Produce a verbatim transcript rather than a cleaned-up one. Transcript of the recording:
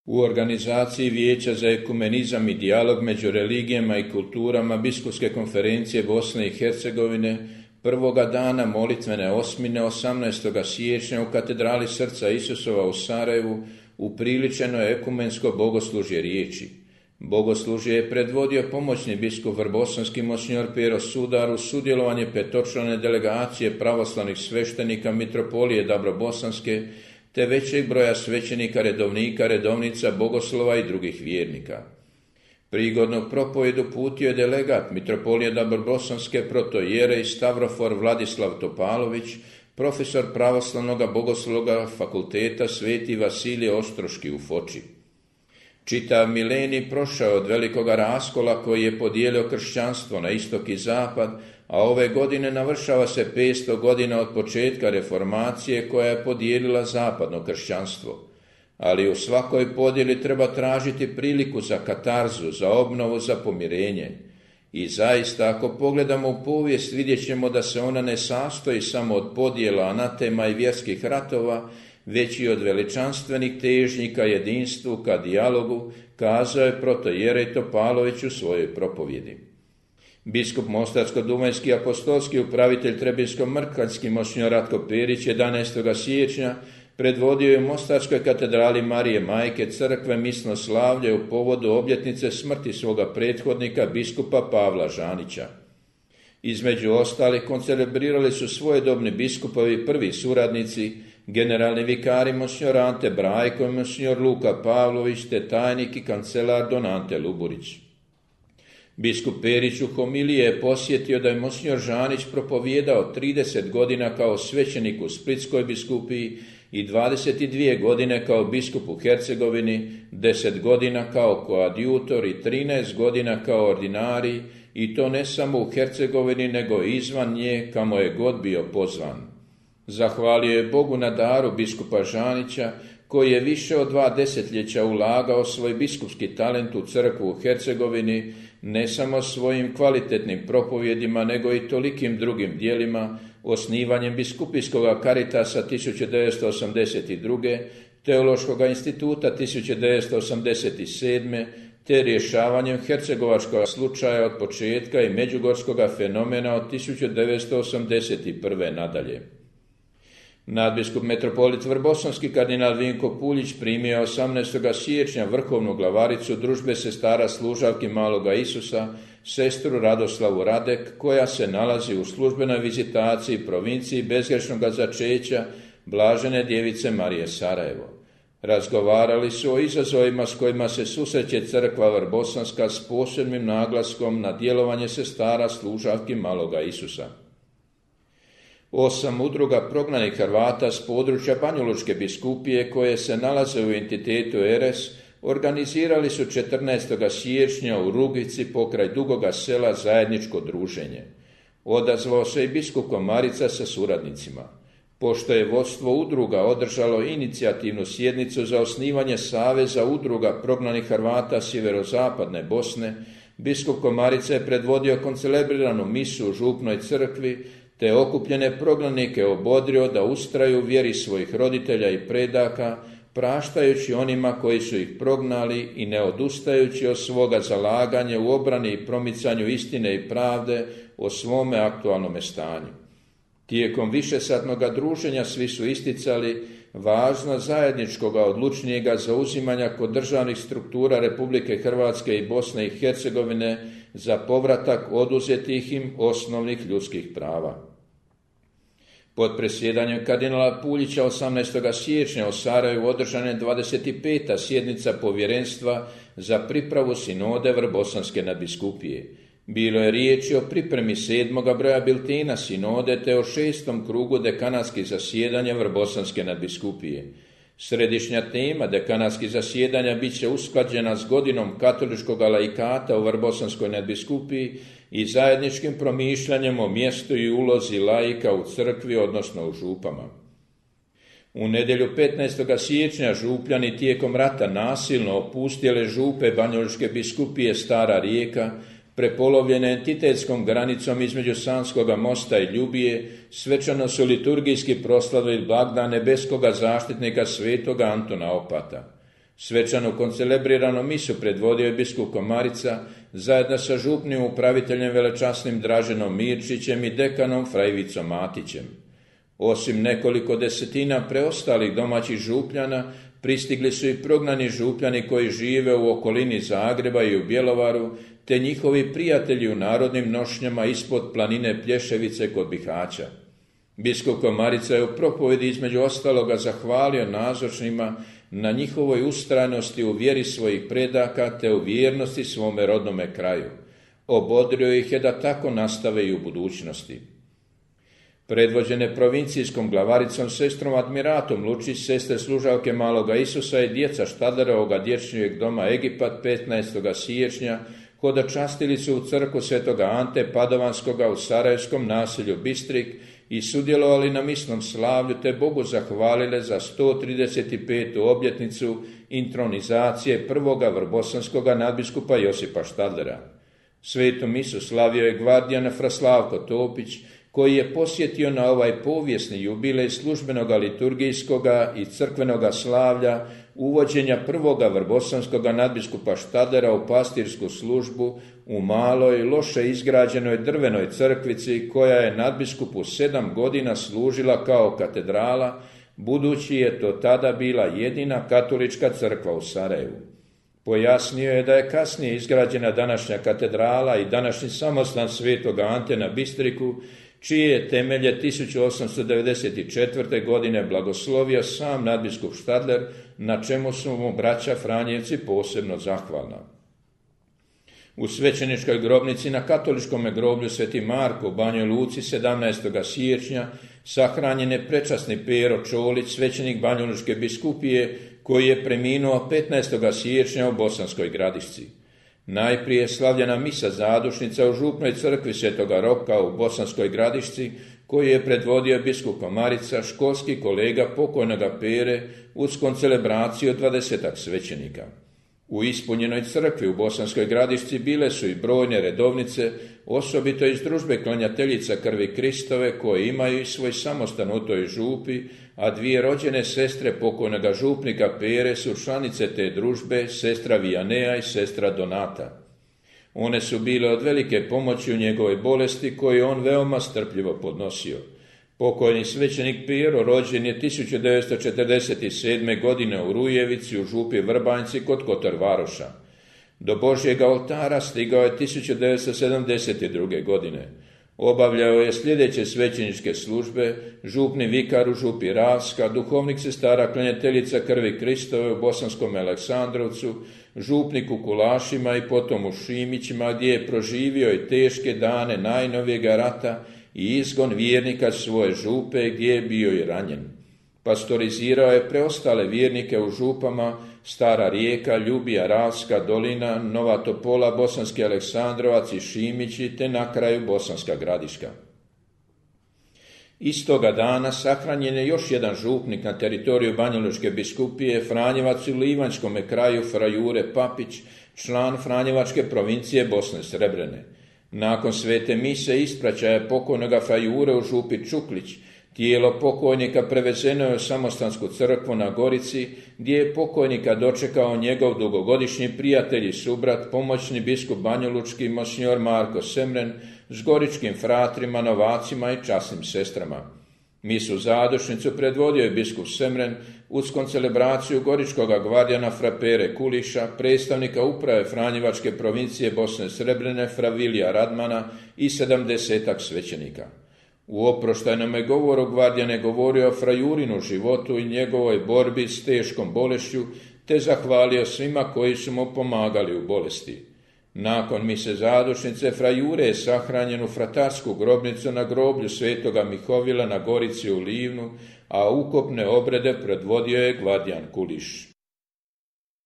U organizaciji Vijeća za ekumenizam i dijalog među religijama i kulturama Biskupske konferencije Bosne i Hercegovine prvoga dana molitvene osmine osamnaestoga siječnja u katedrali Srca Isusova u Sarajevu upriličeno je ekumensko bogoslužje riječi. Bogoslužje je predvodio pomoćni biskup vrbosanski monsinjor Pero Sudar uz sudjelovanje petočlane delegacije pravoslavnih sveštenika mitropolije Dabrobosanske te većeg broja svećenika, redovnika, redovnica, bogoslova i drugih vjernika. Prigodnu propovedu uputio je delegat mitropolije Dabrobosanske protoijerej Stavrofor Vladislav Topalović, profesor pravoslavnog bogoslovnog fakulteta Sveti Vasilije Ostroški u Foči. Čitav milenij prošao od velikoga raskola koji je podijelio kršćanstvo na istok i zapad, a ove godine navršava se petsto godina od početka reformacije koja je podijelila zapadno kršćanstvo. Ali u svakoj podjeli treba tražiti priliku za katarzu, za obnovu, za pomirenje. I zaista, ako pogledamo u povijest, vidjet ćemo da se ona ne sastoji samo od podjela, anatema i vjerskih ratova, već i od veličanstvenih težnjika jedinstvu ka dijalogu, kazao je protoijerej Topalović u svojoj propovjedi. Biskup mostarsko-dumajski apostolski upravitelj Trebinsko-Mrkvaljski monsinjor Ratko Perić jedanaestoga siječnja predvodio je u Mostarskoj katedrali Marije Majke crkve misno slavlje u povodu obljetnice smrti svoga prethodnika biskupa Pavla Žanića. Između ostalih koncelebrirali su svojedobni biskupovi prvi suradnici, generalni vikari monsinjor Ante Brajko i monsinjor Luka Pavlović te tajnik i kancelar Don Ante Luburić. Biskup Perić u homiliji je posjetio da je monsinjor Žanić propovijedao trideset godina kao svećenik u Splitskoj biskupiji i dvadeset dvije godine kao biskup u Hercegovini, deset godina kao koadjutor i trinaest godina kao ordinari, i to ne samo u Hercegovini nego i izvan nje kamo je god bio pozvan. Zahvalio je Bogu na daru biskupa Žanića, koji je više od dva desetljeća ulagao svoj biskupski talent u crkvu u Hercegovini, ne samo svojim kvalitetnim propovjedima, nego i tolikim drugim dijelima, osnivanjem biskupijskog Karitasa tisuću devetsto osamdeset druge, Teološkog instituta tisuću devetsto osamdeset sedme, te rješavanjem hercegovačkog slučaja od početka i međugorskog fenomena od tisuću devetsto osamdeset prve nadalje. Nadbiskup metropolit vrbosanski kardinal Vinko Puljić primio osamnaestoga siječnja vrhovnu glavaricu družbe sestara služavki Maloga Isusa, sestru Radoslavu Radek, koja se nalazi u službenoj vizitaciji provinciji bezgrešnoga začeća Blažene djevice Marije Sarajevo. Razgovarali su o izazovima s kojima se susreće crkva vrbosanska s posebnim naglaskom na djelovanje sestara služavki Maloga Isusa. Osam udruga prognanih Hrvata s područja Banjalučke biskupije koje se nalaze u entitetu Eres organizirali su četrnaestoga siječnja u Rugici pokraj Dugoga Sela zajedničko druženje. Odazvao se i biskup Komarica sa suradnicima. Pošto je vodstvo udruga održalo inicijativnu sjednicu za osnivanje Saveza udruga prognanih Hrvata sjeverozapadne Bosne, biskup Komarica je predvodio koncelebriranu misu u župnoj crkvi, te okupljene prognanike obodrio da ustraju u vjeri svojih roditelja i predaka, praštajući onima koji su ih prognali i ne odustajući od svoga zalaganja u obrani i promicanju istine i pravde o svome aktualnome stanju. Tijekom višesatnoga druženja svi su isticali važnost zajedničkoga odlučnijega zauzimanja kod državnih struktura Republike Hrvatske i Bosne i Hercegovine za povratak oduzetih im osnovnih ljudskih prava. Pod presjedanjem kardinala Puljića osamnaestoga siječnja u Sarajevu održana je dvadeset peta sjednica povjerenstva za pripravu sinode vrbosanske nadbiskupije. Bilo je riječi o pripremi sedmoga broja biltena sinode te o šestom krugu dekanatskih zasjedanja vrbosanske nadbiskupije. Središnja tema dekanatskih zasjedanja bit će usklađena s godinom katoličkog laikata u vrbosanskoj nadbiskupiji i zajedničkim promišljanjem o mjestu i ulozi laika u crkvi, odnosno u župama. U nedjelju petnaestoga siječnja župljani tijekom rata nasilno opustile župe Banjalučke biskupije Stara Rijeka, prepolovljene entitetskom granicom između Sanskoga mosta i Ljubije, svečano su liturgijski proslavili blagdan nebeskoga zaštitnika svetoga Antuna Opata. Svečanu koncelebriranu misu predvodio je biskup Komarica zajedno sa župnim upraviteljem velečasnim Draženom Mirčićem i dekanom fra Ivicom Matićem. Osim nekoliko desetina preostalih domaćih župljana, pristigli su i prognani župljani koji žive u okolini Zagreba i u Bjelovaru, te njihovi prijatelji u narodnim nošnjama ispod planine Plješevice kod Bihaća. Biskup Komarica je u propovedi između ostaloga zahvalio nazočnima na njihovoj ustrajnosti u vjeri svojih predaka te u vjernosti svome rodnome kraju. Obodrio ih je da tako nastave i u budućnosti. Predvođene provincijskom glavaricom sestrom Admiratom Lučić, sestre služavke Maloga Isusa i djeca Štadlerovoga dječjeg doma Egipat petnaestoga siječnja hodočastili su u crkvu svetoga Ante Padovanskoga u sarajevskom naselju Bistrik i sudjelovali na misnom slavlju te Bogu zahvalile za sto trideset petu obljetnicu intronizacije prvoga vrbosanskoga nadbiskupa Josipa Štadlera. Svetu misu slavio je gvardijan fra Slavko Topić, koji je posjetio na ovaj povijesni jubilej službenoga liturgijskoga i crkvenoga slavlja uvođenja prvoga vrbosanskoga nadbiskupa Štadlera u pastirsku službu u maloj, loše izgrađenoj drvenoj crkvici koja je nadbiskupu sedam godina služila kao katedrala, budući je to tada bila jedina katolička crkva u Sarajevu. Pojasnio je da je kasnije izgrađena današnja katedrala i današnji samostan svetoga Ante na Bistriku, čije je temelje tisuću osamsto devedeset četvrte. godine blagoslovio sam nadbiskup Štadler, na čemu su mu braća Franjevci posebno zahvalna. U svećeničkoj grobnici na katoličkom groblju Sveti Marko u Banjoj Luci sedamnaestoga siječnja sahranjen je prečasni Pero Čolić, svećenik Banjalučke biskupije, koji je preminuo petnaestoga siječnja u Bosanskoj Gradišci. Najprije slavljena misa zadušnica u župnoj crkvi Svetoga Roka u Bosanskoj Gradišci, koju je predvodio biskup Komarica, školski kolega pokojnoga Pere, uz koncelebraciju dvadesetak svećenika. U ispunjenoj crkvi u Bosanskoj Gradišci bile su i brojne redovnice, osobito iz družbe klanjateljica krvi Kristove, koje imaju i svoj samostan u toj župi, a dvije rođene sestre pokojnoga župnika Pere su članice te družbe, sestra Vijanea i sestra Donata. One su bile od velike pomoći u njegovoj bolesti, koju on veoma strpljivo podnosio. Pokojni svećenik Pero rođen je tisuću devetsto četrdeset sedme. godine u Rujevici u župi Vrbanjci kod Kotor Varoša. Do Božjega oltara stigao je tisuću devetsto sedamdeset druge. godine. Obavljao je sljedeće svećeničke službe: župni vikar u župi Ravska, duhovnik sestara klanjateljica krvi Kristove u Bosanskom Aleksandrovcu, župnik u Kulašima i potom u Šimićima, gdje je proživio i teške dane najnovijega rata i izgon vjernika svoje župe, gdje je bio i ranjen. Pastorizirao je preostale vjernike u župama Stara Rijeka, Ljubija, Ravska dolina, Nova Topola, Bosanski Aleksandrovac i Šimići, te na kraju Bosanska Gradiška. Istoga dana sahranjen je još jedan župnik na teritoriju Banjalučke biskupije, Franjevac u Livanjskome kraju, fra Jure Papić, član Franjevačke provincije Bosne Srebrene. Nakon svete mise ispraćaja pokojnoga fra Jure u župi Čuklić, tijelo pokojnika prevezeno je u samostansku crkvu na Gorici, gdje je pokojnika dočekao njegov dugogodišnji prijatelj i subrat, pomoćni biskup banjalučki monsinjor Marko Semren, s goričkim fratrima, novacima i časnim sestrama. Misu zadušnicu predvodio je biskup Semren uz koncelebraciju goričkoga gvardijana fra Pere Kuliša, predstavnika uprave Franjevačke provincije Bosne Srebrene fra Vilija Radmana i sedamdesetak svećenika. U oproštajnome govoru gvardijan je govorio o fra Jurinu životu i njegovoj borbi s teškom bolešću, te zahvalio svima koji su mu pomagali u bolesti. Nakon mise zadušnice fra Jure je sahranjen u fratarsku grobnicu na groblju svetoga Mihovila na Gorici u Livnu, a ukopne obrede predvodio je gvardijan Kuliš.